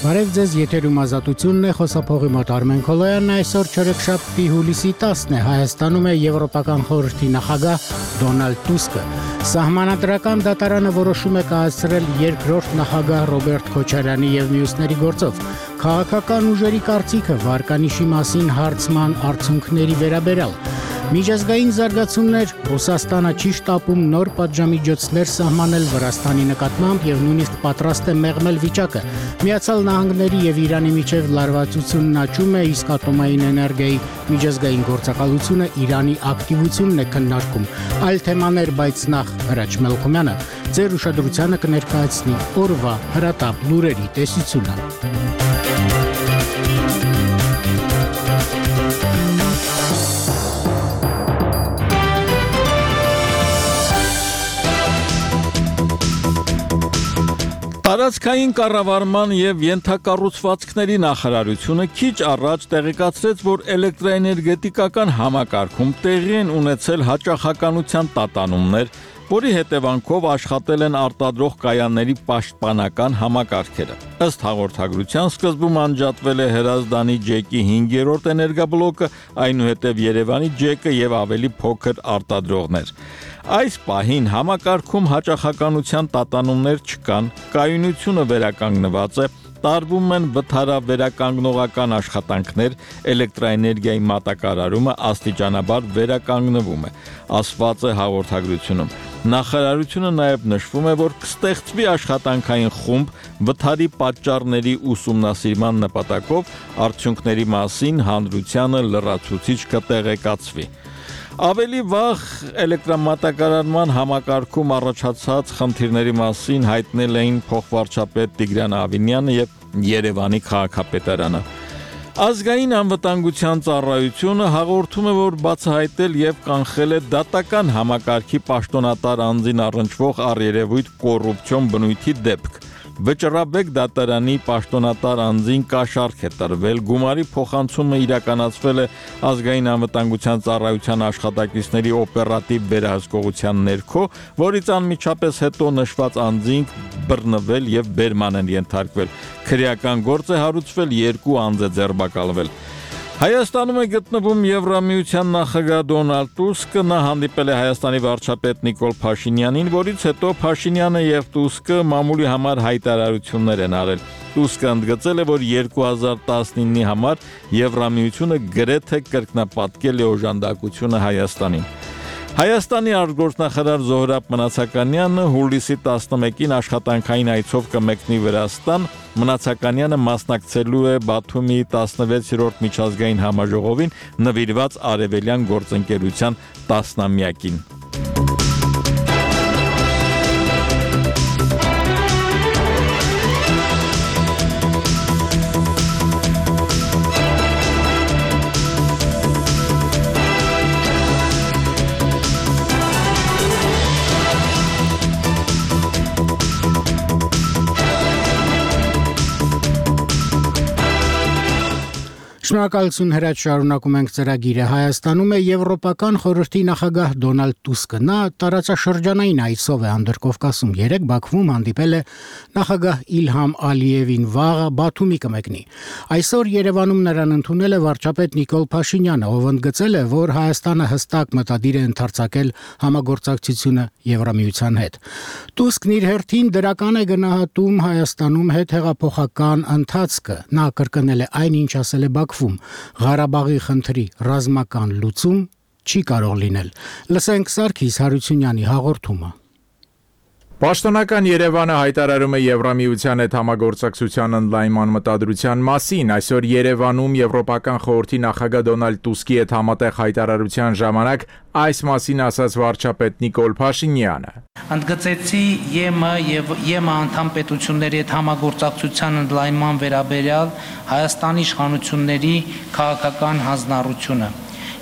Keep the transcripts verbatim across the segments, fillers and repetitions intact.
Բարև ձեզ, եթերում ազատությունն է, խոսափողի մոտ Արմեն Քոլոյանն, այսօր չորեքշաբթի հուլիսի տասն է, Հայաստանում է Եվրոպական խորհրդի նախագահ Դոնալդ Տուսկը։ Սահմանադրական դատարանը որոշում է կայացրել երկրորդ նախագահ Ռոբերտ Քոչարյանի եւ մյուսների գործով քաղաքական ուժերի կարծիքը վարկանիշի մասին հարցման արդյունքների վերաբերյալ։ Միջազգային զարգացումներ, Ռուսաստանը չի շտապում նոր պատժամիջոցներ սահմանել Վրաստանի նկատմամբ եւ նույնիսկ պատրաստ է մեղմել վիճակը։ Միացյալ Նահանգների եւ Իրանի միջև լարվածությունն աճում է, իսկ ատոմային էներգիայի միջազգային գործակալությունը Իրանի ակտիվությունն է քննարկում։ Այլ թեմաներ, բայց նախ Հրաչ Մելքումյանը ձեր ուշադրությանը կներկայացնի օրվա հրատապ լուրերի տեսությունը։ Տարածքային կառավարման եւ ենթակառուցվածքների նախարարությունը քիչ առաջ տեղեկացրեց, որ էլեկտրաէներգետիկական համակարգում տեղի են ունեցել հաճախականության տատանումներ, որի հետևանքով աշխատել են արտադրող կայանների պաշտպանական համակարգերը։ Ըստ հաղորդագրության սկզբում անջատվել է Հրազդանի ջեկի հինգերորդ էներգաբլոկը, այնուհետև Երևանի ջեկը եւ ավելի փոքր արտադրողներ։ Այս պահին համակարգում հաճախականության տատանումներ չկան, կայունությունը վերականգնված է, տարվում են վթարավերականգնողական աշխատանքներ, էլեկտրաէներգիայի մատակարարումը աստիճանաբար վերականգնվում է, ասված է հաղորդագրությունում։ Նախարարությունը նաև նշվում է, որ կստեղծվի աշխատանքային խումբ վթարի պատճառների ուսումնասիրման նպատակով, արդյունքների մասին հանրությանը լրացուցիչ կտեղեկացվի։ Ավելի վաղ էլեկտրամատակարարման համակարգում առաջացած խնդիրների մասին հայտնել էին փոխվարչապետ Տիգրան Ավինյանը եւ Երևանի քաղաքապետարանը։ Ազգային անվտանգության ծառայությունը հաղորդում է, որ բացահայտել եւ կանխել է դատական համակարգի պաշտոնատար անձին առնչվող առերևույթ կոռուպցիոն բնույթի դեպք։ Վճռաբեկ դատարանի պաշտոնատար անձին կաշառք է տրվել, գումարի փոխանցումը իրականացվել է ազգային անվտանգության ծառայության աշխատակիցների օպերատիվ վերահսկողության ներքո, որից անմիջապես հետո նշված անձին բռնվել եւ բերման են ենթարկվել։ Քրեական գործ է հարուցվել, երկու անձ է ձերբակալվել։ Հայաստանում է գտնվում Եվրամիության նախագահ Դոնալդ Տուսկը, նա հանդիպել է Հայաստանի վարչապետ Նիկոլ Փաշինյանին, որից հետո Փաշինյանը եւ Տուսկը մամուլի համար հայտարարություններ են արել։ Տուսկը ընդգծել է, որ երկու հազար տասնինի համար Եվրամիությունը գրեթե կրկնապատկել է օժանդակությունը Հայաստանին։ Հայաստանի արտգործնախարար Զոհրաբ Մնացականյանը հուլիսի տասնմեկին աշխատանքային այցով կմեկնի Վրաստան, Մնացականյանը մասնակցելու է Բաթումի տասնվեցերորդ միջազգային համաժողովին նվիրված արևելյան գործընկերության տասնամյակին։ Շնորհակալություն Հրաչ, շարունակում ենք ծրագիրը։ Հայաստանում է Եվրոպական խորհրդի նախագահ Դոնալդ Տուսկը։ Նա տարածաշրջանային այցով է Անդրկովկասում։ Երեկ Բաքվում հանդիպել է նախագահ Իլհամ Ալիևին, վաղը Բաթումի կմեկնի։ Այսօր Երևանում նրան ընդունել է վարչապետ Նիկոլ Փաշինյանը, ով ընդգծել է, որ Հայաստանը հստակ մտադիր է ընդարձակել համագործակցությունը Եվրամիության հետ։ Տուսկն իր հերթին դրական է գնահատում Հայաստանում հետհեղափոխական ընթացքը։ Նա կրկնել է այն, ինչ ասել է Բաքվում. Ղարաբաղի խնդրի ռազմական լուծում չի կարող լինել։ Լսենք Սարգիս Հարությունյանի հաղորդումը։ Պաշտոնական Երևանը հայտարարում է Եվրամիության հետ համագործակցության ընդլայնման մտադրության մասին։ Այսօր Երևանում Եվրոպական խորհրդի նախագահ Դոնալդ Տուսկի հետ համատեղ հայտարարության ժամանակ այս մասին ասաց վարչապետ Նիկոլ Փաշինյանը։ Ընդգծեցի ԵՄ եւ ԵՄ անդամ պետությունների հետ համագործակցության ընդլայնման վերաբերյալ Հայաստանի իշխանությունների քաղաքական հանձնառությունը։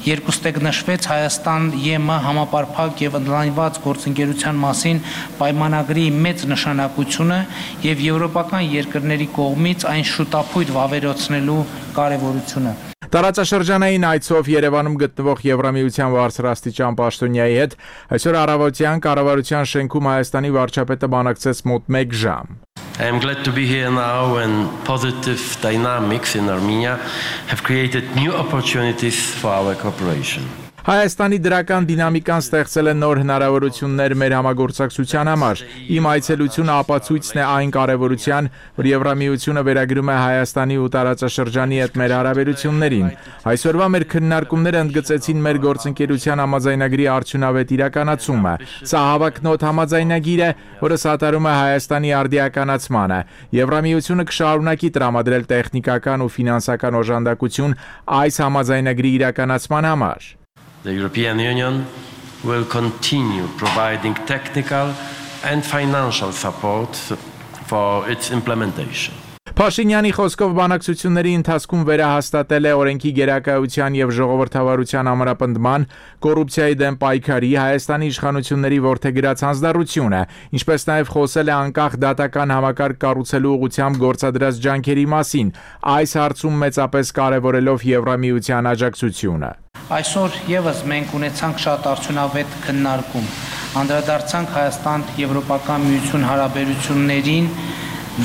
Երկուստեք նշվեց Հայաստան-ԵՄ համապարփակ եւ ընդլայնված գործընկերության մասին պայմանագրի մեծ նշանակությունը եւ եվրոպական երկրների կողմից այն շուտապույտ վավերացնելու կարեւորությունը։ Տարածաշրջանային այցով Երևանում գտնվող Եվրամիության բարձրաստիճան պաշտոնյայի հետ այսօր առավոտյան կառավարության շենքում Հայաստանի վարչապետը բանակցեց մոտ մեկ ժամ։ I am glad to be here now when positive dynamics in Armenia have created new opportunities for our cooperation. Հայաստանի դրական դինամիկան ստեղծել է նոր հնարավորություններ մեր համագործակցության համար։ Իմ այցելությունը ապացույցն է այն կարևորության, որ Եվրամիությունը վերագրում է Հայաստանի ու տարածաշրջանի հետ մեր հարաբերություններին։ Այսօրվա մեր քննարկումները ընդգծեցին մեր գործընկերության համաձայնագրի արդյունավետ իրականացումը։ Սա հավակնոտ համաձայնագիր է, որը սատարում է Հայաստանի արդիականացմանը։ Եվրամիությունը կշարունակի տրամադրել տեխնիկական ու ֆինանսական օժանդակություն այս համաձայնագրի իրականացման համար։ The European Union will continue providing technical and financial support for its implementation. Փաշինյանի խոսքով բանակցությունների ընթացքում վերահաստատել է օրենքի գերակայության եւ ժողովրդավարության ամրապնդման, կոռուպցիայի դեմ պայքարի, Հայաստանի իշխանությունների որդեգրած հանձնառությունը, ինչպես նաեւ խոսել է անկախ դատական համակարգ կառուցելու ուղղությամբ գործադրած ջանքերի մասին, այս հարցում մեծապես կարևորելով Եվրամիության աջակցությունը։ Այսօր եւս մենք ունեցանք շատ արդյունավետ քննարկում։ Անդրադարձանք Հայաստան-Եվրոպական միություն հարաբերություններին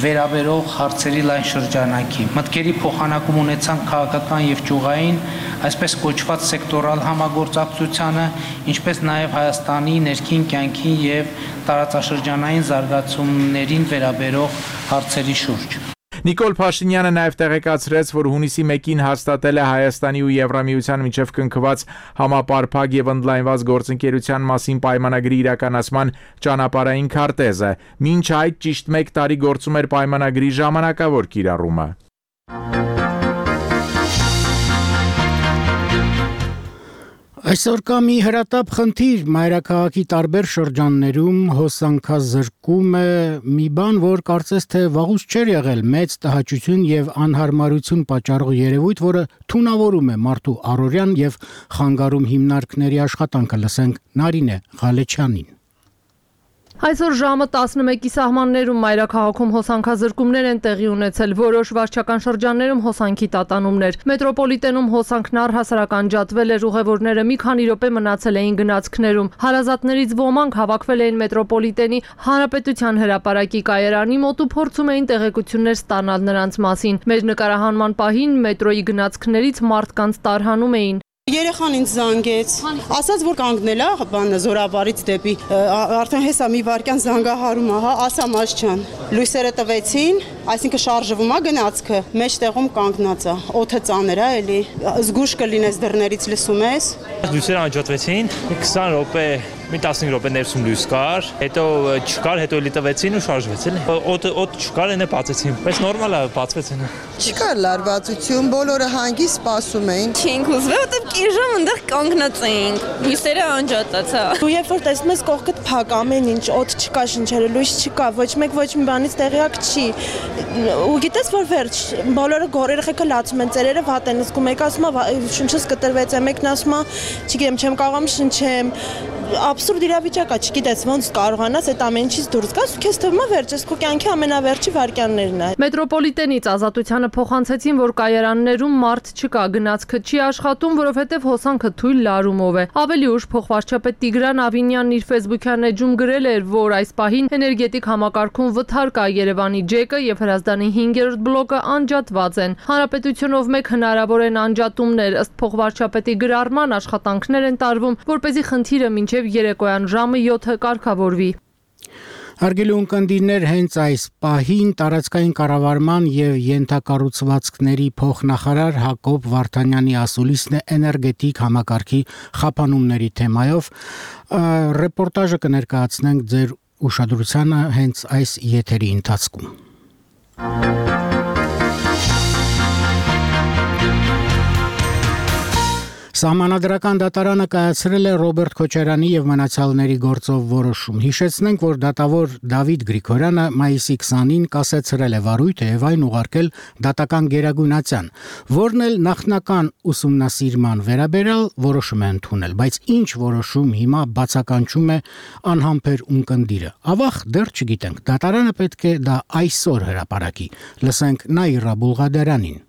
վերաբերող հարցերի լայն շրջանակի։ Մտքերի փոխանակում ունեցանք քաղաքական եւ ճյուղային, այսպես կոչված սեկտորալ համագործակցությանը, ինչպես նաեւ Հայաստանի ներքին կյանքի եւ տարածաշրջանային զարգացումներին վերաբերող հարցերի շուրջ։ Նիկոլ Փաշինյանը նաև տեղեկացրեց, որ հունիսի մեկին հաստատել է Հայաստանի ու Եվրամիության միջև կնքված համապարփակ եւ ընդլայնված գործընկերության մասին պայմանագրի իրականացման ճանապարհային քարտեզը։ Մինչ այդ ճիշտ մեկ տարի գործում էր պայմանագրի ժամանակավոր կիրառումը։ Այսօր կա մի հրատապ խնդիր մայրաքաղաքի տարբեր շրջաններում հոսանքազրկում է մի բան, որ կարծես թե վաղուց չէր եղել մեծ տհաճություն եւ անհարմարություն պատճառող երևույթ, որը թունավորում է մարդու առօրյան եւ խանգարում հիմնարկների աշխատանքը, լսենք Նարինե Ղալեչյանին։ Այսօր ժամը տասնմեկի սահմաններում մայրաքաղաքում հոսանքազրկումներ են տեղի ունեցել, որոշ վարչական շրջաններում հոսանքի տատանումներ։ Մետրոպոլիտենում հոսանքն առհասարակ անջատվել էր, ուղևորները մի քանի րոպե մնացել էին գնացքներում։ Հարազատներից ոմանք հավաքվել էին մետրոպոլիտենի Հանրապետության հրապարակի կայարանի մոտ ու փորձում էին տեղեկություններ ստանալ նրանց մասին։ Մեր նկարահանման պահին մետրոյի գնացքներից մարդկանց տարհանում էին։ Երեխան ինձ զանգեց, ասաց, որ կանգնել է բանը զորավարից դեպի, արդեն հեսա մի վարքյան զանգահարում է, հա, ասամաս չան։ Լույսերը տվեցին, այսինքն շարժվում է գնացքը, մեջտեղում կանգնած է, օդը ծանր է, էլի, զգուշ կլինես դռներից լսում ես։ Լույսերը անջատվեցին, քսան րոպե, մի տասնհինգ րոպե ներսում լույս կար, հետո չկար, հետո էլի տվեցին ու շարժվեց, էլի։ Օդը օդ չկար, այնը բացեցին, բայց նորմալ է, բացվեցին։ Չկար լարվածություն, բոլորը հանգիստ սպասում էին։ Չենք ուզվել, որտեղ կիրժամ այնտեղ կանգնած էինք։ Լույսերը անջատած է։ Ու երբ որ տեսնում ես կողքդ փակ ամեն ինչ, օդ չկա, շնչերը լույս չկա, ոչ մեկ ոչ մի բանից տեղյակ չի։ Ու գիտես որ վերջ, բոլորը գոր երեխեքը լացում են, ծերերը վատ են զգում, եկա ասում է շունչս կտրվեց, մեկն ասում է, չգիտեմ, չեմ կարողam շնչեմ։ Абսուրդ իրավիճակ է, չգիտես ոնց կարողանաս այդ ամեն ինչից դուրս գաս, ու քեզ թվում է վերջ, այս քո կյանքի ամենավերջի վայրկյաններն է։ Մետրոպոլիտենից Ազատությանը փոխանցեցին, որ կայարաններում մարդ չկա, գնացքը չի աշխատում, որովհետև հոսանքը թույլ լարումով է։ Ավելի ուշ փոխվարչապետ Տիգրան Ավինյանն իր Facebook-յան էջում գրել էր, որ այս պահին էներգետիկ համակարգում վթար կա, Երևանի ջեկը եւ Հրազդանի հինգերորդ բլոկը անջատված են։ Հանրապետությունով մեկ հնարավոր են անջատումներ, ըստ փոխվարչապետի գրառման աշխատանքներ են տարվում, որպեսզի խնդիրը մինչև երեկոյան ժամը յոթը կարգավորվի։ Հարգելի ունկնդիրներ, հենց այս պահին տարածքային կառավարման եւ յենթակառուցվածքների փոխնախարար Հակոբ Վարդանյանի ասուլիսն է էներգետիկ համակարգի խափանումների թեմայով։ Ռեպորտաժը կներկայացնենք ձեր ուշադրությանը հենց այս եթերի ընթացքում։ Սահմանադրական դատարանը կայացրել է Ռոբերտ Քոչարյանի եւ մնացյալների գործով որոշում։ Հիշեցնենք, որ դատավոր Դավիթ Գրիգորյանը մայիսի քսանին կասեցրել է վարույթը եւ այն ուղարկել դատական գերագույնացան, որն էլ նախնական ուսումնասիրման վերաբերյալ որոշում է ընդունել, բայց ինչ որոշում հիմա բացականչում է անհամբեր ունկնդիրը։ Ավաղ դեռ չգիտենք, դատարանը պետք է դա այսօր հրապարակի։ Լսենք Նաիրա Բուլղադարյանին։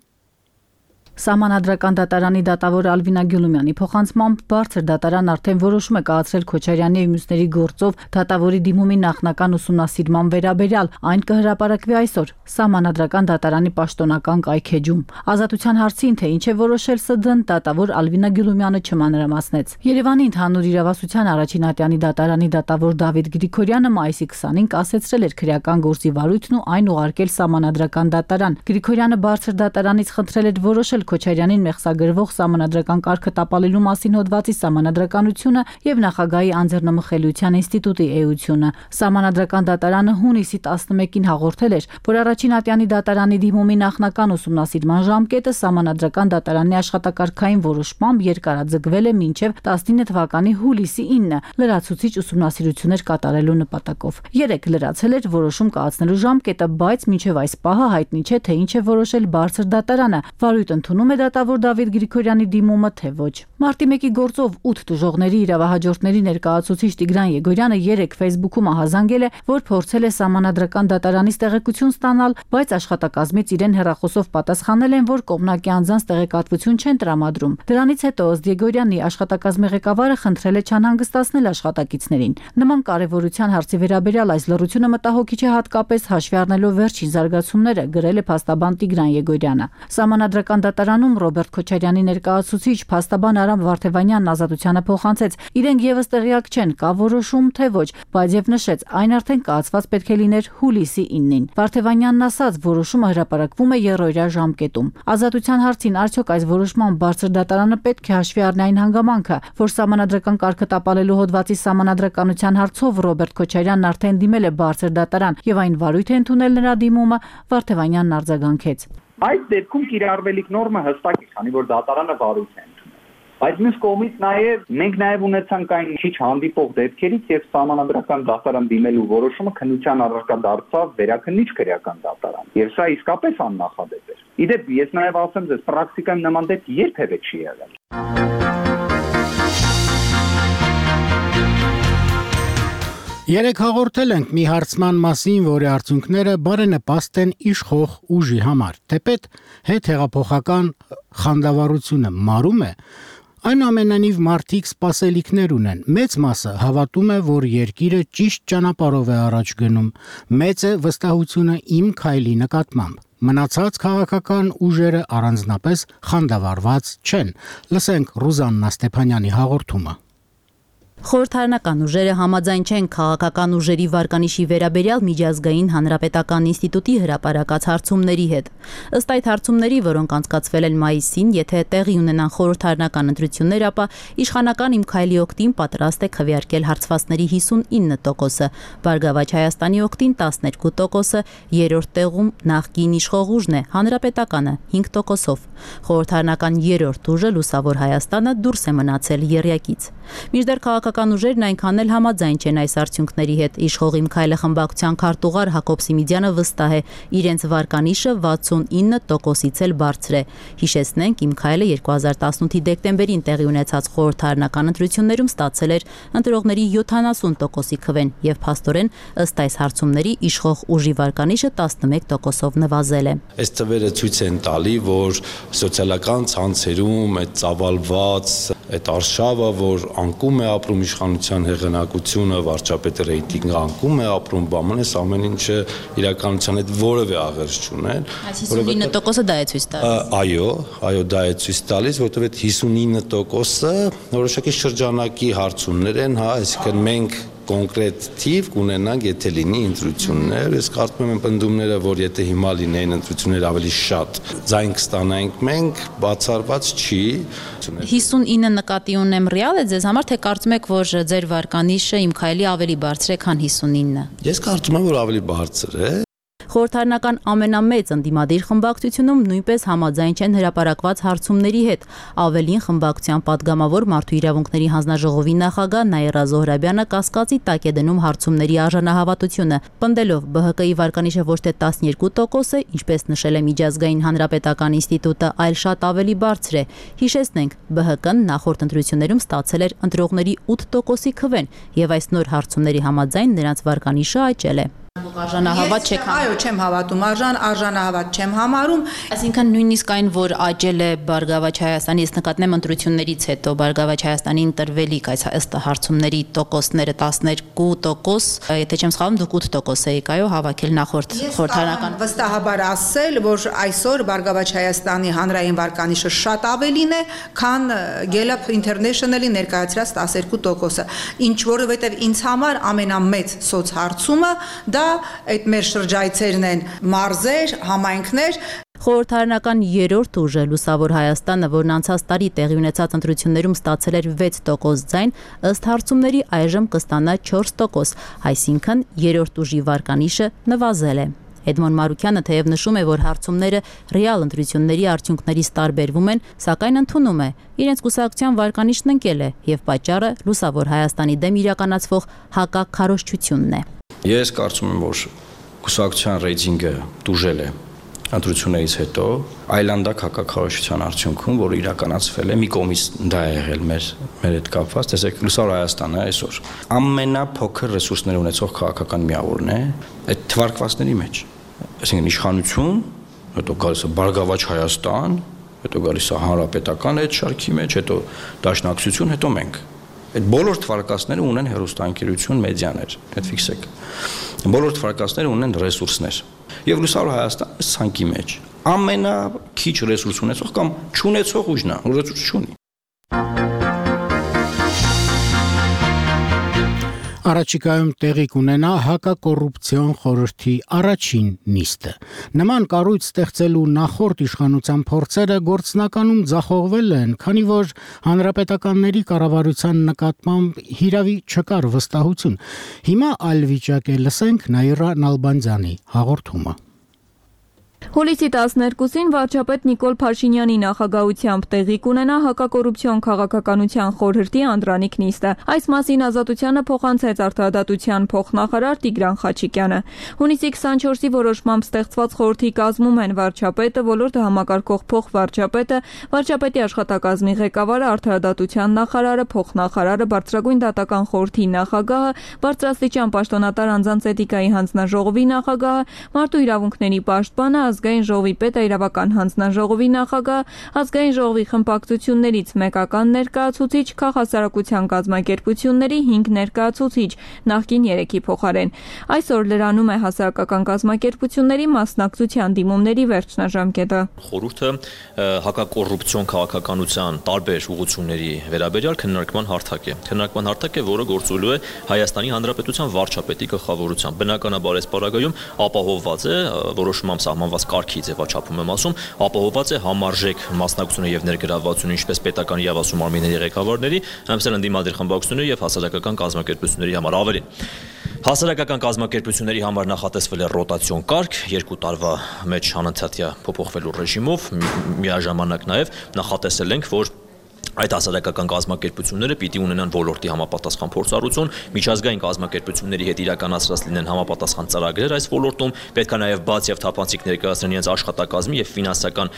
Սահմանադրական դատարանի դատավոր Ալվինա Գյուլումյանի փոխանցմամբ բարձր դատարան արդեն որոշում է կայացրել Քոչարյանի եւ մյուսների գործով դատավորի դիմումի նախնական ուսումնասիրման վերաբերյալ, այն կհրապարակվի այսօր Սահմանադրական դատարանի պաշտոնական կայքեջում։ Ազատության հարցին, թե ինչ է որոշել Ս Դ-ն, դատավոր Ալվինա Գյուլումյանը չմանրամասնեց։ Երևանի ընդհանուր իրավասության առաջին ատյանի դատարանի դատավոր Դավիթ Գրիգորյանը մայիսի քսանին կասեցրել էր քրեական գործի վարույթն ու այն ուղարկել Սահմանադրական դատարան։ Գրիգորյանը բարձր դատարանից խնդրել էր որոշել Քոչարյանին մեղսագրվող Սահմանադրական կարգը տապալելու մասին հոդվածի Սահմանադրականությունը եւ նախագահի անձեռնմխելիության ինստիտուտի էությունը։ Սահմանադրական դատարանը հունիսի տասնմեկին հաղորդել էր, որ առաջին ատյանի դատարանի դիմումի նախնական ուսումնասիրման ժամկետը Սահմանադրական դատարանի աշխատակարգային որոշմամբ երկարաձգվել է մինչև տասնինը թվականի հուլիսի ինը լրացուցիչ ուսումնասիրություններ կատարելու նպատակով։ Երեք լրացել էր որոշում կայացնելու ժամկետը, բայց մինչև այս պահը հայտնի չէ, թե ինչ է որոշել բարձր դատարանը։ Վարույթ ընդունում է դատավոր Դավիթ Գրիգորյանի դիմումը, թե ոչ։ Մարտի մեկի գործով ութ տուժողների իրավահաջորդների ներկայացուցիչ Տիգրան Եգորյանը երեք Facebook-ում ահազանգել է, որ փորձել է Սահմանադրական դատարանից տեղեկություն ստանալ, բայց աշխատակազմից իրեն հեռախոսով պատասխանել են, որ կողմնակի անձանց տեղեկատվություն չեն տրամադրում։ Դրանից հետո ըստ Եգորյանի աշխատակազմի ղեկավարը խնդրել է չանհանգստացնել աշխատակիցներին։ Նման կարևորության հարցի վերաբերյալ այս լռությունը մտահոգիչ է հատկապես հաշվի առնելով վերջին զարգացումները, գրել է փաստաբան Տիգրան Եգորյանը։ Սահմանադրական դատարանում Ռոբերտ Քոչարյանի ներկայացուցիչ փաստաբան Արամ Վարդևանյանն ազատությանը փոխանցեց. իրենք եւս տեղյակ չեն, կա որոշում թե ոչ, բայց եւ նշեց, այն արդեն կայացված պետք է լիներ հուլիսի ինին։ Վարդևանյանն ասաց, որոշումը հրապարակվում է երրորդյա ժամկետում։ Ազատության հարցին արդյոք այս որոշման բարձր դատարանը պետք է հաշվի առնի այն հանգամանքը, որ Սահմանադրական կարգը տապալելու հոդվածի Սահմանադրականության հարցով Ռոբերտ Քոչարյանն արդեն դիմել է բարձր դատարան եւ այն վարույթ է ընդունել նրա դիմումը, Վարդևանյանն արձագանքեց. Այդ դեպքում կիրառվելիք նորմը հստակ է, քանի որ դատարանը վարույթ է ընդունել։ Բայց մյուս կողմից նաև մենք նաև ունեցանք այն քիչ հանդիպող դեպքերից եւ Սահմանադրական դատարան դիմելու որոշումը քննության առարկա դարձավ վերաքննիչ քրեական դատարան։ Եվ սա իսկապես աննախադեպ էր։ Իդեպ ես նաև ասեմ ձեզ, պրակտիկայում նման դեպք երբևէ չի եղել։ Երեք հաղորդել ենք մի հարցման մասին, որի արդյունքները բարենպաստ են իշխող ուժի համար։ Թեպետ հետհեղափոխական խանդավառությունը մարում է, այնուամենայնիվ մարդիկ սպասելիքներ ունեն։ Մեծ մասը հավատում է, որ երկիրը ճիշտ ճանապարհով է առաջ գնում։ Մեծ է վստահությունը իմ քայլի նկատմամբ։ Մնացած քաղաքական ուժերը առանձնապես խանդավառված չեն։ Լսենք Ռուզաննա Ստեփանյանի հաղորդումը։ Խորհրդարանական ուժերը համաձայն չեն քաղաքական ուժերի վարկանիշի վերաբերյալ միջազգային հանրապետական ինստիտուտի հրապարակած հարցումների հետ։ Ըստ այդ հարցումների, որոնք անցկացվել են մայիսին, եթե տեղի ունենան խորհրդարանական ընտրություններ, ապա իշխանական Իմ քայլի օգտին պատրաստ է քվեարկել հարցվածների հիսունինը տոկոսը, Բարգավաճ Հայաստանի օգտին տասներկու տոկոսը, երրորդ տեղում նախկին իշխող ուժն է, Հանրապետականը հինգ տոկոսով։ Խորհրդարանական երրորդ ուժը Լուսավոր Հայաստանը դուրս է մնացել եռյակից։ Մինչդեռ քաղաքական ուժերն այնքան էլ համաձայն չեն այս արդյունքների հետ։ Իշխող Իմ քայլը խմբակցության քարտուղար Հակոբ Սիմիդյանը վստահ է, իրենց վարկանիշը վաթսունինը տոկոսից էլ բարձր է։ Հիշեցնենք, Իմ քայլը երկու հազար տասնութի դեկտեմբերին տեղի ունեցած խորհրդարանական ընտրություններում ստացել էր ընտրողների յոթանասուն տոկոսի քվեն եւ փաստորեն ըստ այս հարցումների իշխող ուժի վարկանիշը տասնմեկ տոկոսով նվազել է։ Այս թվերը ցույց են տալի, որ սոցիալական ցանցերում այդ ծավալված այդ արշավը, որ անկում է ապրում իշխանության հեղինակությունը, վարչապետի ռեյտինգը անկում է ապրում, բամանես ամեն ինչը իրականության հետ որևէ աղերս չուներ։ հիսունինը տոկոսը դա է ցույց տալիս։ Այո, այո, դա է ցույց տալիս, որովհետև այդ հիսունինը տոկոսը որոշակի շրջանակի հարցումներ են, հա, այսինքն մենք կոնկրետ թիվ կունենանք, եթե լինի ընտրություններ, ես կարծում եմ պնդումները, որ եթե հիմա լինեին ընտրություններ ավելի շատ ձայն կստանայինք մենք, բացառված չի։ հիսունինը նկատի ունեմ ռեալ է ձեզ համար, թե կարծում եք, որ ձեր վարկանիշը Իմ քայլի ավելի բարձր է, քան հիսունինը։ Ես կարծում եմ, որ ավելի բարձր է։ Խորհրդարանական ամենամեծ ընդդիմադիր խմբակցությունում նույնպես համաձայն չեն հրապարակված հարցումների հետ։ Ավելին, խմբակցության падգամավոր Մարդու իրավունքների հանձնաժողովի նախագահ Նաիրա Զոհրաբյանը կասկածի տակ է դնում հարցումների արժանահավատությունը, պնդելով Բ Հ Կ-ի վարկանիշը ոչ թե տասներկու տոկոս է, ինչպես նշել է Միջազգային հանրապետական ինստիտուտը, այլ շատ ավելի բարձր է։ Հիշեցնենք, Բ Հ Կ-ն նախորդ ընտրություններում ստացել էր ընտրողների ութ տոկոսի քվեն, եւ այս նոր հարցումների համաձայն նրանց վարկանիշը աճել է։ Արժանահավատ չեք համարում։ Այո, չեմ հավատում, արժան արժանահավատ չեմ համարում։ Այսինքն նույնիսկ այն, որ աճել է Բարգավաճ Հայաստանի, ես նկատեմ ընտրություններից հետո Բարգավաճ Հայաստանին տրվելիք այս ըստ հարցումների տոկոսները տասներկու տոկոս, եթե չեմ սխալվում, դուք ութ տոկոս եք այո հավաքել նախորդ խորհրդարանական։ Վստահաբար ասել, որ այսօր Բարգավաճ Հայաստանի հանրային վարկանիշը շատ ավելին է, քան Gallup International-ի ներկայացրած տասներկու տոկոսը, ինչ որովհետև ինձ համար ամենամեծ սոցհարցումը դա այդ մեր շրջայցերն են մարզեր, համայնքներ։ Խորհրդարանական երրորդ ուժը Լուսավոր Հայաստանը, որն անցած տարի տեղի ունեցած ընտրություններում ստացել էր վեց տոկոս ձայն, ըստ հարցումների այժմ կստանա չորս տոկոս, այսինքն երրորդ ուժի վարկանիշը նվազել է։ Էդմոն Մարուկյանը թեև նշում է, որ հարցումները ռեալ ընտրությունների արդյունքներից տարբերվում են, սակայն ընդունում է, իրենց կուսակցության վարկանիշն ընկել է եւ պատճառը Լուսավոր Հայաստանի դեմ իրականացվող հակաքարոզչությունն է։ Ես կարծում եմ, որ կուսակցության ռեյտինգը դուժել է ընտրություններից հետո այլանդակ հակաքարոզչության արդյունքում, որը իրականացվել է, մի կողմից դա է եղել մեր մեր հետ կապված, տեսեք Լուսավոր Հայաստանը այսօր ամենափոքր ռեսուրսներ ունեցող քաղաքական միավորն է այդ թվարկվածների մեջ, այսինքն իշխանություն, հետո գալիս է Բարգավաճ Հայաստան, հետո գալիս է հանրապետական այդ շարքի մեջ, հետո դաշնակցություն, հետո մենք։ Այդ բոլոր թվարկածները ունեն հեռուստաընկերություն, մեդիաներ, այդ ֆիքսեք։ Բոլոր թվարկածները ունեն ռեսուրսներ։ Եվ Լուսավոր Հայաստանը ցանկի մեջ ամենաքիչ ռեսուրս ունեցող կամ չունեցող ուժն է, ռեսուրս չունի։ Առաջիկայում տեղի կունենա հակակոռուպցիոն խորհրդի առաջին նիստը։ Նման կառույց ստեղծելու նախորդ իշխանության փորձերը գործնականում ձախողվել են, քանի որ հանրապետականների կառավարության նկատմամբ հիրավի չկար վստահություն։ Հիմա այլ վիճակ է, լսենք Նաիրա Նալբանդյանի հաղորդումը։ Հուլիսի տասներկուսին վարչապետ Նիկոլ Փաշինյանի նախագահությամբ տեղի կունենա հակակոռուպցիոն քաղաքականության խորհրդի անդրանիկ նիստը։ Այս մասին Ազատությանը փոխանցեց արտահայտության փոխնախարար Տիգրան Խաչիկյանը։ Հունիսի քսանչորսի որոշմամբ ստեղծված խորհրդի կազմում են վարչապետը, ոլորտը համակարգող փոխվարչապետը, վարչապետի աշխատակազմի ղեկավարը, արտահայտության նախարարը, փոխնախարարը, բարձրագույն դատական խորհրդի նախագահը, բարձրաստիճան պաշտոնատար անձանց էթիկայի հանձնաժողովի նախագահը, մարդու իրավունքների պաշտպանը, ազգային ժողովի պետ, իրավական հանձնաժողովի նախագահ, ազգային ժողովի խմբակցություններից մեկական ներկայացուցիչ, քաղաքասարակության կազմակերպությունների հինգ ներկայացուցիչ, նախկին երեքի փոխարեն։ Այսօր լրանում է հասարակական կազմակերպությունների մասնակցության դիմումների վերջնաժամկետը։ Խորհուրդը հակակոռուպցիոն քաղաքականության տարբեր ուղղությունների վերաբերյալ քննարկման հարթակ է։ Քննարկման հարթակ է, որը գործելու է Հայաստանի Հանրապետության վարչապետի գլխավորությամբ։ Բնականաբար այս պարագայում ապահովված է որոշմամբ սահմանված կարգի ձևաչափում եմ ասում, ապահովված է համարժեք մասնակցությունը եւ ներգրավվածությունը ինչպես պետական եւ ասում արմիների ղեկավարների, այնպես էլ ընդդիմադիր խմբակցությունների եւ հասարակական կազմակերպությունների համար ավելին։ Հասարակական կազմակերպությունների համար նախատեսվել է ռոտացիոն կարգ, երկու տարվա մեջ անընդհատյա փոփոխվելու ռեժիմով, միաժամանակ նաեւ նախատեսել ենք, որ այդ հասարակական կազմակերպությունները պիտի ունենան ոլորտի համապատասխան փորձառություն, միջազգային կազմակերպությունների հետ իրականացրած լինեն համապատասխան ծրագրեր այս ոլորտում, պետք է նաև բաց եւ թափանցիկ ներկայացնեն իրենց աշխատակազմի եւ ֆինանսական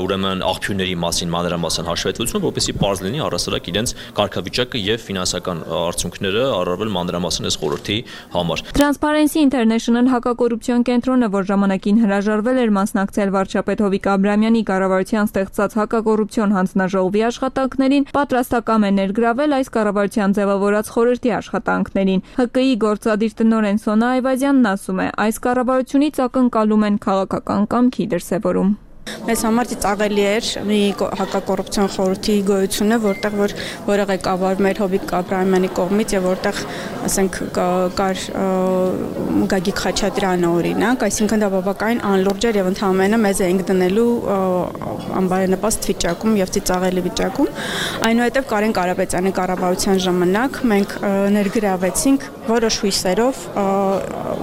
ուրեմն աղբյուրների մասին մանրամասն հաշվետվություն, որպեսզի պարզ լինի առասարակ իրենց կարգավիճակը եւ ֆինանսական արդյունքները առավել մանրամասն այս խորհրդի համար։ Transparency International հակակոռուպցիոն կենտրոնը, որ ժամանակին հրաժարվել էր մասնակցել վարչապետ Հովիկ Աբրահամյանի կառավարության ստեղծած հակակոռուպցիոն հանձնաժողովի աշխատանքներին, պատրաստակամ է ներգրավել այս կառավարության ձևավորած խորհրդի աշխատանքներին։ Հ Կ I գործադիր տնօրեն Սոնա Այվազյանն ասում է, այս կառավարությունից ակնկալում են քաղաքական կամքի դրսևորում։ Մեզ համար ծաղելի էր մի հակակոռուպցիոն խորհրդի գոյությունը, որտեղ որ որը ղեկավարում էր Հովիկ Աբրահամյանի կողմից եւ որտեղ, ասենք, կար Գագիկ Խաչատրյանը օրինակ, այսինքն դա բավականին անլուրջ էր եւ ընդհանրապես մեզ էինք դնելու անբարենպաստ վիճակում եւ ծաղելի վիճակում։ Այնուհետեւ Կարեն Կարապետյանի կառավարության ժամանակ մենք ներգրավեցինք որոշ հույսերով,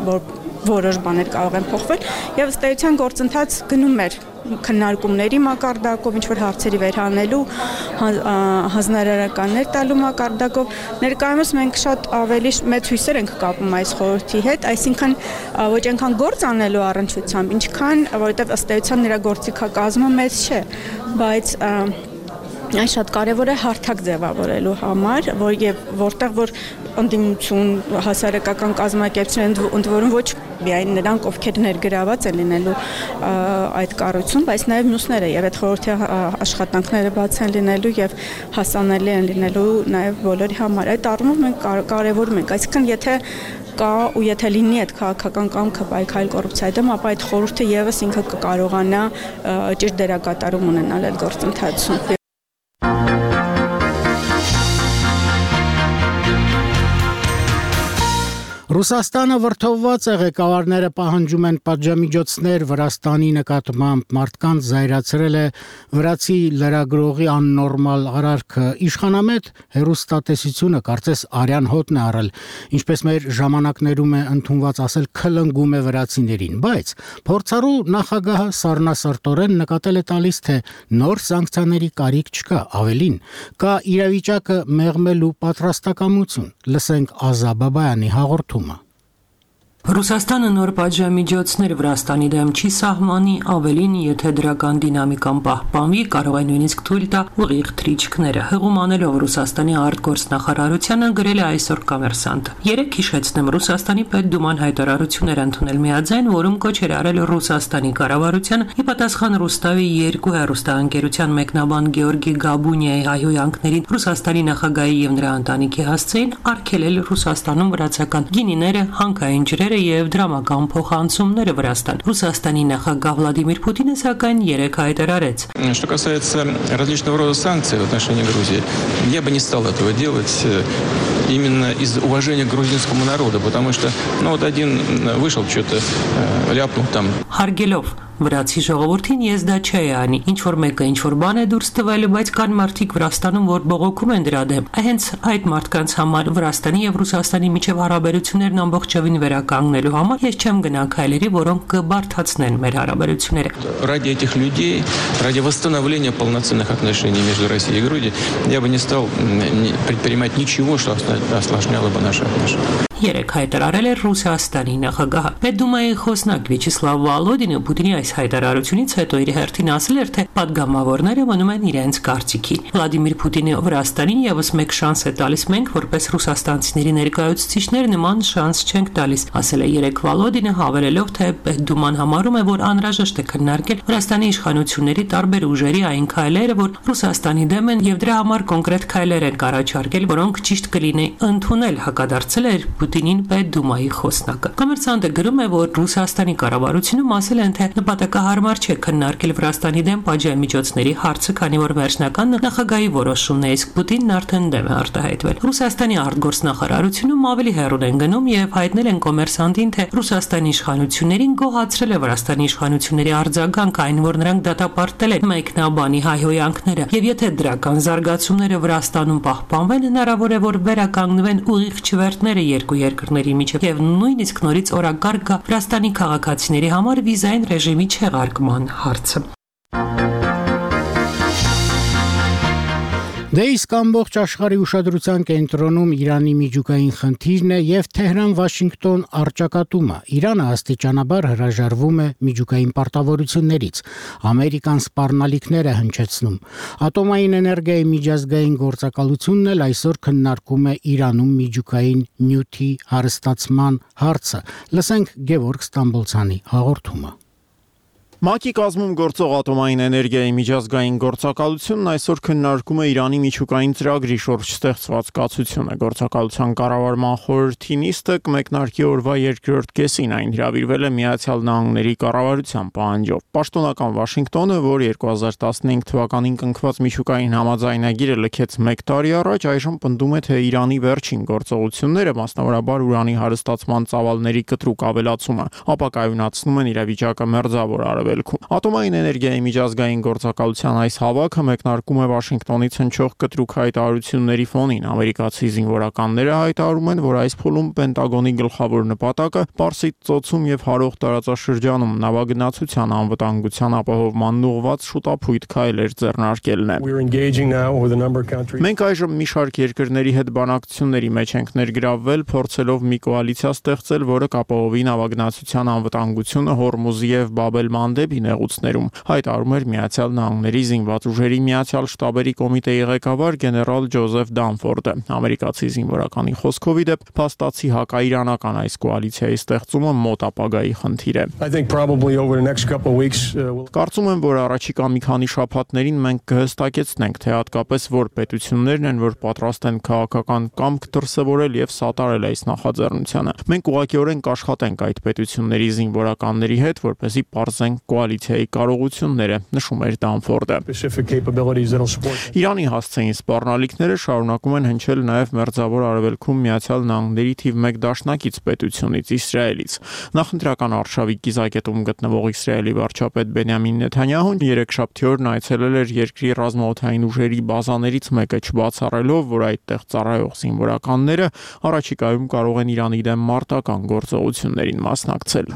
որ որոշ բաներ կարող են փոխվել եւ ըստ էության գործընթաց գնում էր քննարկումների մակարդակով, ինչ որ հարցերի վերհանելու, հանձնարարականներ տալու մակարդակով։ Ներկայումս մենք շատ ավելի մեծ հույսեր ենք կապում այս խորհրդի հետ, այսինքն ոչ այնքան գործ անելու առնչությամբ, ինչքան որովհետեւ ըստ էության նրա գործիքակազմը մեծ չէ, բայց Այն շատ կարևոր է հարթակ ձևավորելու համար, որ եւ որտեղ որ ընդդիմություն հասարակական կազմակերպություններ, ընդ որում ոչ միայն նրանք, ովքեր ներգրաված են լինելու այդ կառույցում, բայց նաև մյուսները եւ այդ խորհրդի աշխատանքները բաց են լինելու եւ հասանելի են լինելու նաև բոլորի համար։ Այդ առումով մենք կարևորում ենք, այսինքն եթե կա ու եթե լինի այդ քաղաքական կամքը պայքարել կոռուպցիայի դեմ, ապա այդ խորհուրդը եւս ինքը կկարողանա ճիշտ դերակատարում ունենալ այդ գործընթացում։ Ռուսաստանը վրդովված է, ղեկավարները պահանջում են պատժամիջոցներ Վրաստանի նկատմամբ, մարդկանց զայրացրել է վրացի լրագրողի աննորմալ արարքը, իշխանամետ հեռուստատեսությունը կարծես արյան հոտն է առել, ինչպես մեր ժամանակներում է ընդունված ասել, քլնգում է վրացիներին, բայց փորձառու նախագահը սառնասրտորեն նկատել է տալիս, թե նոր սանկցիաների կարիք չկա, ավելին, կա իրավիճակը մեղմելու պատրաստակամություն, լսենք Ազա Բաբայանի հաղորդումը։ Ռուսաստանը նոր պատժամիջոցներ Վրաստանի դեմ չի սահմանի, ավելին, եթե դրական դինամիկան պահպանվի, կարող է նույնիսկ թույլ տա ուղիղ թռիչքները։ Հղում անելով Ռուսաստանի արտգործնախարարությանը գրել է այսօր Կոմերսանտը։ Երեք հիշեցնեմ, Ռուսաստանի պետդուման հայտարարություն էր ընդունել միաձայն, որում կոչ էր արել Ռուսաստանի կառավարությանը ի պատասխան Ռուստավի երկու հեռուստաընկերության մեկնաբան Գեորգի Գաբունիայի հայհոյանքներին Ռուսաստանի նախագահի եւ նրա ընտանիքի հասցեին արգելել Ռուսաստանում վրացական գինիները, հանքային ջրերը եւ դրամական փոխանցումները Վրաստան։ Ռուսաստանի նախագահ Վլադիմիր Պուտինը սակայն երեք հայտարարեց. Что касается различного рода санкций в отношении Грузии, я бы не стал этого делать именно из уважения к грузинскому народу, потому что, ну вот один вышел, что-то ляпнул там. Հարգելով վրացի ժողովրդին ես դա չէի անի, ինչ որ մեկը ինչ որ բան է դուրս տվել, բայց կան մարդիկ Վրաստանում, որ բողոքում են դրա դեմ։ Հենց այդ մարդկանց համար Վրաստանի եւ Ռուսաստանի միջև հարաբերություններն ամբողջովին վերականգնելու համար ես չեմ գնա քայլերի, որոնք կբարթացնեն մեր հարաբերությունները։ Ради этих людей, ради восстановления полноценных отношений между Россией и Грузией, я бы не стал предпринимать ничего, что осложняло бы наши отношения. Երեք հայտարարել էր Ռուսաստանի նախագահը։ Պետդումայի խոսնակ Վյաչեսլավ Վալոդինը Պուտինի այս հայտարարությունից հետո իր հերթին ասել էր, թե падգամավորները մնում են իրենց կարծիքին։ Վլադիմիր Պուտինը Վրաստանին եւս մեկ շանս է տալիս, մենք որպես ռուսաստանցիների ներկայացուցիչներ նման շանս չենք տալիս, ասել է երեք Վալոդինը, հավելելով, թե Պետդուման համարում է, որ անհրաժեշտ է քննարկել Վրաստանի իշխանությունների տարբեր ուժերի այն քայլերը, որ Ռուսաստանի դեմ են եւ դրա համար կոնկրետ քայլեր են առաջարկել, որոնք ճիշտ կլինի ընդունել, հակադարձել էր Պուտինին Պետդումայի խոսնակը։ Կոմերսանտը գրում է, որ Ռուսաստանի կառավարությունում ասել են, թե նպատակահարմար չէ քննարկել Վրաստանի դեմ պատժամիջոցների հարցը, քանի որ վերջնական նախագահի որոշումն է, իսկ Պուտինն արդեն դեմ է արտահայտվել։ Ռուսաստանի արտգործնախարարությունում ավելի հեռուն են գնում եւ հայտնել են Կոմերսանտին, թե Ռուսաստանի իշխանություններին գոհացրել է Վրաստանի իշխանությունների արձագանքը, այն որ նրանք դատապարտել են մեկնաբանի հայհոյանքները, եւ եթե դրական զարգացումները Վրաստանում պահպանվեն, հնարավոր է, որ վերականգնվեն ուղիղ չվերթները երկու երկրների միջև եւ նույնիսկ նորից օրակարգ գա Վրաստանի քաղաքացիների համար վիզային ռեժիմի չեղարկման հարցը։ Դե իսկ ամբողջ աշխարհի ուշադրության կենտրոնում Իրանի միջուկային խնդիրն է եւ Թեհրան-Վաշինգտոն առճակատումը։ Իրանը աստիճանաբար հրաժարվում է միջուկային պարտավորություններից։ Ամերիկան սպառնալիքներ է հնչեցնում։ Ատոմային էներգիայի միջազգային գործակալությունն էլ այսօր քննարկում է Իրանում միջուկային նյութի հարստացման հարցը։ Լսենք Գևորգ Ստամբոլցյանի հաղորդումը։ ՄԱԿ-ի կազմում գործող ատոմային էներգիայի միջազգային գործակալությունն այսօր քննարկում է Իրանի միջուկային ծրագրի շուրջ ստեղծված կացությունը։ Գործակալության կառավարման խորհրդի նիստը կմեկնարկի օրվա երկրորդ կեսին, այն հրավիրվել է Միացյալ Նահանգների կառավարության պահանջով։ Պաշտոնական Վաշինգտոնը, որ երկու հազար տասնհինգ թվականին կնքված միջուկային համաձայնագիրը լքեց մեկ տարի առաջ, այժմ պնդում է, թե Իրանի վերջին գործողությունները, մասնավորաբար ուրանի հարստացման ծավալների կտրուկ ավելացումը, ապակայունացնում են իրավիճակը մերձավոր արևելքում։ Ատոմային էներգիայի միջազգային գործակալության այս հավաքը մեկնարկում է Վաշինգտոնից հնչող կտրուկ հայտարարությունների ֆոնին։ Ամերիկացի զինվորականները հայտարարում են, որ այս փուլում Պենտագոնի գլխավոր նպատակը Պարսից ծոցում եւ հարող տարածաշրջանում նավագնացության անվտանգության ապահովմանն ուղղված շուտափույթ քայլեր ձեռնարկելն է։ Մենք այժմ մի շարք երկրների հետ բանակցությունների մեջ ենք ներգրավվել, փորձելով մի կոալիցիա ստեղծել, որը կապահովի նավագնացության անվտանգությունը Հորմուզի եւ Բաբ էլ-Մանդեբ դեպի նեղուցներում, հայտարարում էր Միացյալ Նահանգների զինված ուժերի միացյալ շտաբերի կոմիտեի ղեկավար գեներալ Ջոզեֆ Դանֆորդը։ Ամերիկացի զինվորականի խոսքով ի դեպ փաստացի հակաիրանական այս կոալիցիայի ստեղծումը մոտ ապագայի խնդիր է։ Կարծում եմ, որ առաջիկա մի քանի շաբաթներին մենք կհստակեցնենք, թե հատկապես որ պետություններն են, որ պատրաստ են քաղաքական կամք դրսևորել եւ սատարել այս նախաձեռնությանը։ Մենք ուղղակիորեն կաշխատենք այդ պետությունների զինվորականների հետ, որպեսզի պարզենք կոալիցիայի կարողությունները, նշում էր Դանֆորդը։ Իրանի հասցեին սպառնալիքները շարունակում են հնչել նաեւ Մերձավոր Արևելքում Միացյալ Նահանգների թիվ մեկ դաշնակից պետությունից Իսրայելից։ Նախընտրական արշավի կիզակետում գտնվող Իսրայելի վարչապետ Բենյամին Նեթանյահուն երեքշաբթի օրն այցելել էր երկրի ռազմաօդային ուժերի բազաներից մեկը, չբացառելով, որ այդտեղ ծառայող զինվորականները առաջիկայում կարող են Իրանի դեմ մարտական գործողություններին մասնակցել։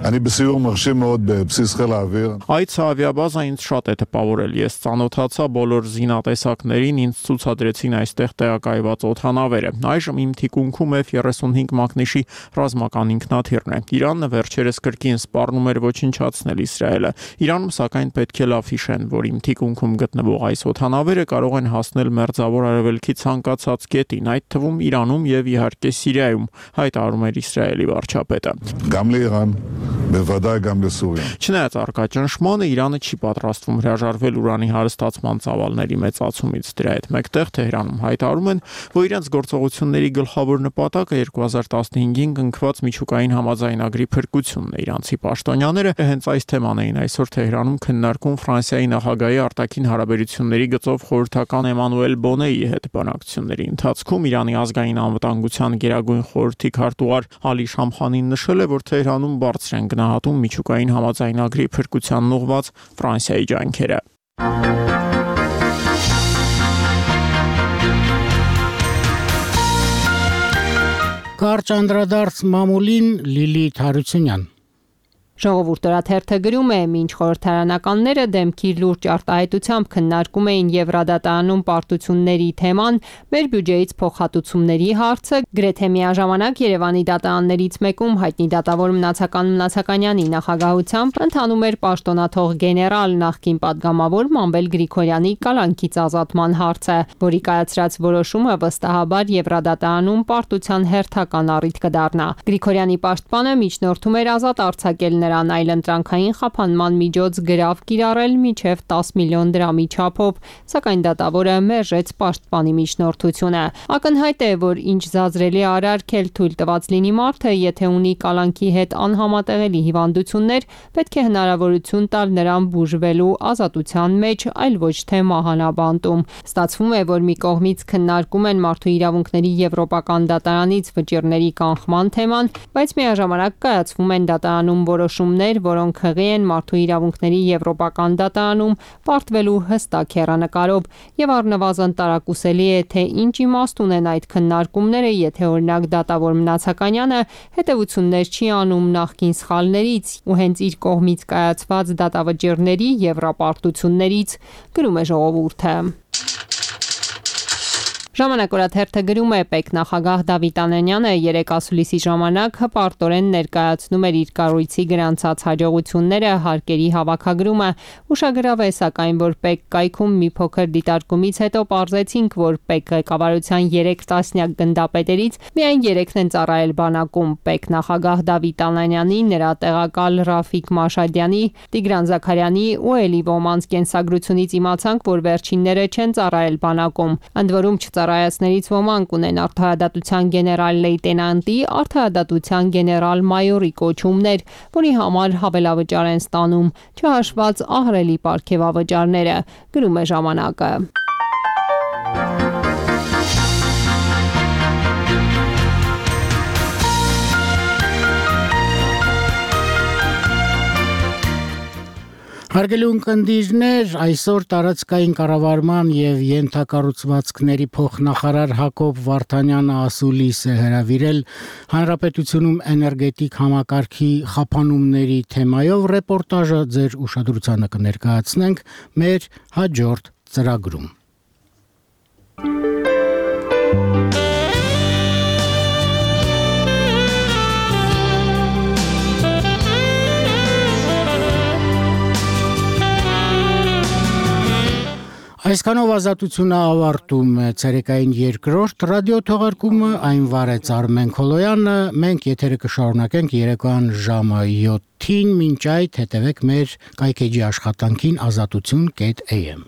Այդ ավիաբազա ինձ շատ է տպավորել։ Ես ծանոթացա բոլոր զինատեսակներին, ինձ ցուցադրեցին այստեղ տեղակայված օդանավերը։ Այժմ իմ թիկունքում Էֆ երեսունհինգ մակնիշի ռազմական ինքնաթիռն է։ Իրանը վերջերս կրկին սպառնում էր ոչնչացնել Իսրայելը։ Իրանում սակայն պետք է լավ հիշեն, որ իմ թիկունքում գտնվող այս օդանավերը կարող են հասնել Մերձավոր Արևելքի ցանկացած կետին, այդ թվում Իրանում եւ իհարկե Սիրիայում, հայտարարում էր Իսրայելի վարչապետը։ Չնայած առկա ճնշմանը, Իրանը չի պատրաստվում հրաժարվել ուրանի հարստացման ծավալների մեծացումից։ Դրա հետ մեկտեղ Թեհրանում հայտարարում են, որ իրենց գործողությունների գլխավոր նպատակը երկու հազար տասնհինգին կնքված միջուկային համաձայնագրի փրկությունն է։ Իրանցի պաշտոնյաները հենց այս թեման էին այսօր Թեհրանում քննարկում Ֆրանսիայի նախագահի արտաքին հարաբերությունների գծով խորհրդական Էմանուել Բոնեի հետ բանակցությունների ընթացքում Իրանի ազգային անվտանգության գերագույն խորհրդի քարտուղար Ալի Շամխանին նշել է, որ Թեհրանում բարձր են գնահատում միջուկային համաձայնագրի փրկությանն ուղղված Ֆրանսիայի ջանքերը։ Կարճ անդրադարձ մամուլին Լիլիթ Հարությունյան։ Ժողովուրդը գրում է, մինչ խորհրդարանականները դեմքի լուրջ արտահայտությամբ քննարկում էին Եվրադատարանում պարտությունների թեման, մեր բյուջեից փոխհատուցումների հարցը գրեթե միաժամանակ Երևանի դատարաններից մեկում հայտնի դատավոր Մնացական Մնացականյանի նախագահությամբ ընթանում էր պաշտոնաթող գեներալ նախկին падգամավոր Մանվել Գրիգորյանի կալանքից ազատման հարցը, որի կայացրած որոշումը վստահաբար Եվրադատարանում պարտության հերթական առիթ կդառնա։ Գրիգորյանի պաշտպանը միջնորդում էր ազատ արձակել նրան այլընտրանքային խափանման միջոց գրավ կիրառել մինչև տասը միլիոն դրամի չափով, սակայն դատավորը մերժեց պաշտպանի միջնորդությունը։ Ակնհայտ է, որ ինչ զազրելի արարքել թույլ տված լինի մարդը, եթե ունի կալանքի հետ անհամատեղելի հիվանդություններ, պետք է հնարավորություն տալ նրան բուժվելու ազատության մեջ, այլ ոչ թե մահանաբանտում։ Ստացվում է, որ մի կողմից քննարկում են մարդու իրավունքների եվրոպական դատարանից վճիռների կանխման թեման, բայց միաժամանակ կայացվում են դատարանում որոշումներ, որոնք հղի են մարդու իրավունքների եվրոպական դատարանում պարտվելու հստակ հեռանկարով, եւ առնվազն տարակուսելի է, թե ինչ իմաստ ունեն այդ քննարկումները, եթե օրինակ դատավոր Մնացականյանը հետևություններ չի անում նախկին սխալներից ու հենց իր կողմից կայացված դատավճիռների եվրապարտություններից, գրում է Ժողովուրդը։ Ժամանակորաթերթը գրում է, ՊԵԿ նախագահ Դավիթ Անանյանը երեկ ասուլիսի ժամանակ հպարտորեն ներկայացնում էր իր կառույցի գրանցած հաջողությունները, հարկերի հավաքագրումը։ Ուշագրավ է, սակայն, որ ՊԵԿ կայքում մի փոքր դիտարկումից հետո պարզեցինք, որ ՊԵԿ ղեկավարության երեք տասնյակ գնդապետերից միայն երեքն են ծառայել բանակում։ ՊԵԿ նախագահ Դավիթ Անանյանի, նրա տեղակալ Ռաֆիկ Մաշադյանի, Տիգրան Զաքարյանի ու Էլի Ոմանց կենսագրությունից իմացանք, որ վերջինները չեն ծառայել բանակում։ Ընդ որում Ծառայածներից ոմանք ունեն արդարադատության գեներալ լեյտենանտի, արդարադատության գեներալ-մայորի կոչումներ, որի համար հավելավճար են ստանում, չհաշված ահռելի պարգևավճարները, գրում է Ժամանակը։ Հարգելի ունկնդիրներ, այսօր տարածքային կառավարման եւ յենթակառուցվածքների փոխնախարար Հակոբ Վարդանյանը ասուլիս է հրավիրել Հանրապետությունում էներգետիկ համակարգի խափանումների թեմայով ռեպորտաժը ձեր ուշադրությանը կներկայացնենք մեր հաջորդ ծրագրում։ Այսքանով ազատությունը ավարտում է ցերեկային երկրորդ ռադիո թողարկումը, այն վարեց Արմեն Քոլոյանը, մենք եթերը կշարունակենք երեկոյան ժամը յոթին, մինչ այդ հետևեք մեր կայքեջի աշխատանքին ազատություն կետ էյ էմ